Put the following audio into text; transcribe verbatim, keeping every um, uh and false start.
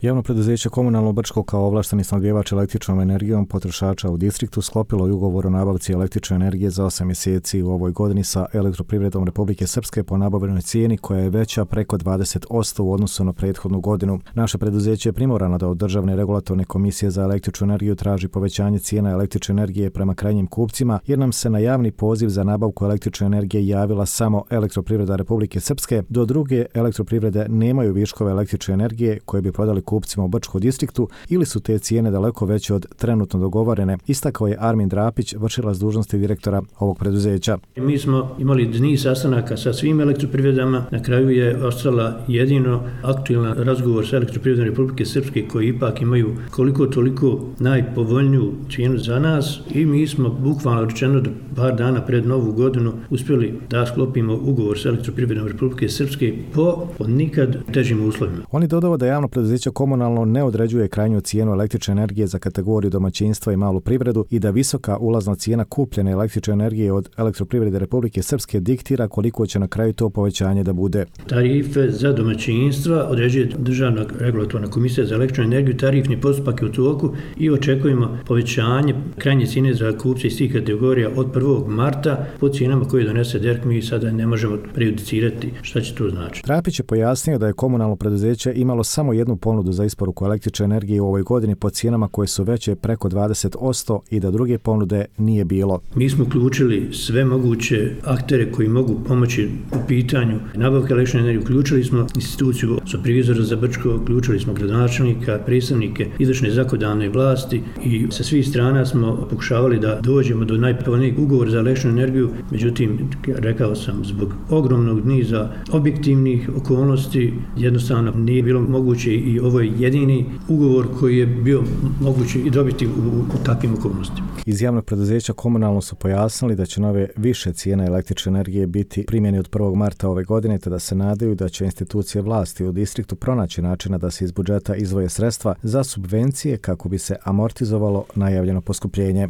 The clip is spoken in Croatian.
Javno preduzeće Komunalno Brčko kao ovlašteni snabdjevač električnom energijom potrošača u distriktu sklopilo je ugovor o nabavci električne energije za osam mjeseci u ovoj godini sa Elektroprivredom Republike Srpske po nabavljenoj cijeni koja je veća preko dvadeset posto u odnosu na prethodnu godinu. Naše preduzeće je primorano da od Državne regulatorne komisije za električnu energiju traži povećanje cijena električne energije prema krajnjim kupcima, jer nam se na javni poziv za nabavku električne energije javila samo Elektroprivreda Republike Srpske, do druge elektroprivrede nemaju viškove električne energije koje bi prodali kupcima u Brčkom distriktu ili su te cijene daleko veće od trenutno dogovorene, istakao je Armin Drapić, vršilac dužnosti direktora ovog preduzeća. Mi smo imali niz sastanaka sa svim elektroprivredama, na kraju je ostala jedino aktualan razgovor sa Elektroprivredom Republike Srpske koji ipak imaju koliko toliko najpovoljniju cijenu za nas i mi smo bukvalno rečeno da par dana pred novu godinu uspjeli da sklopimo ugovor sa Elektroprivredom Republike Srpske po nikad težim uslovima. Oni dodaju da javno preduzeće Komunalno ne određuje krajnju cijenu električne energije za kategoriju domaćinstva i malu privredu i da visoka ulazna cijena kupljene električne energije od Elektroprivrede Republike Srpske diktira koliko će na kraju to povećanje da bude. Tarife za domaćinstva određuje Državna regulatorna komisija za električnu energiju, tarifni postupak je u toku i očekujemo povećanje krajnje cijene za kupce iz tih kategorija od prvog marta po cijenama koje donese D E R K. Mi sada ne možemo prejudicirati šta će to značiti. Trapić je pojasnio da je komunalno preduzeće imalo samo jednu ponudu za isporuku električne energije u ovoj godini po cijenama koje su veće preko dvadeset posto i da druge ponude nije bilo. Mi smo uključili sve moguće aktere koji mogu pomoći u pitanju nabavke električne energije. Uključili smo instituciju supervizora za Brčko, uključili smo gradonačelnika, predstavnike izvršne zakonodavne vlasti i sa svih strana smo pokušavali da dođemo do najpovoljnijeg ugovora za električnu energiju. Međutim, rekao sam, zbog ogromnog niza objektivnih okolnosti jednostavno nije bilo moguće i ovo je jedini ugovor koji je bio moguće i dobiti u, u takvim okolnostima. Iz javnog preduzeća Komunalno su pojasnili da će nove više cijene električne energije biti primjeni od prvog marta ove godine, te da se nadaju da će institucije vlasti u distriktu pronaći načina da se iz budžeta izdvoje sredstva za subvencije kako bi se amortizovalo najavljeno poskupljenje.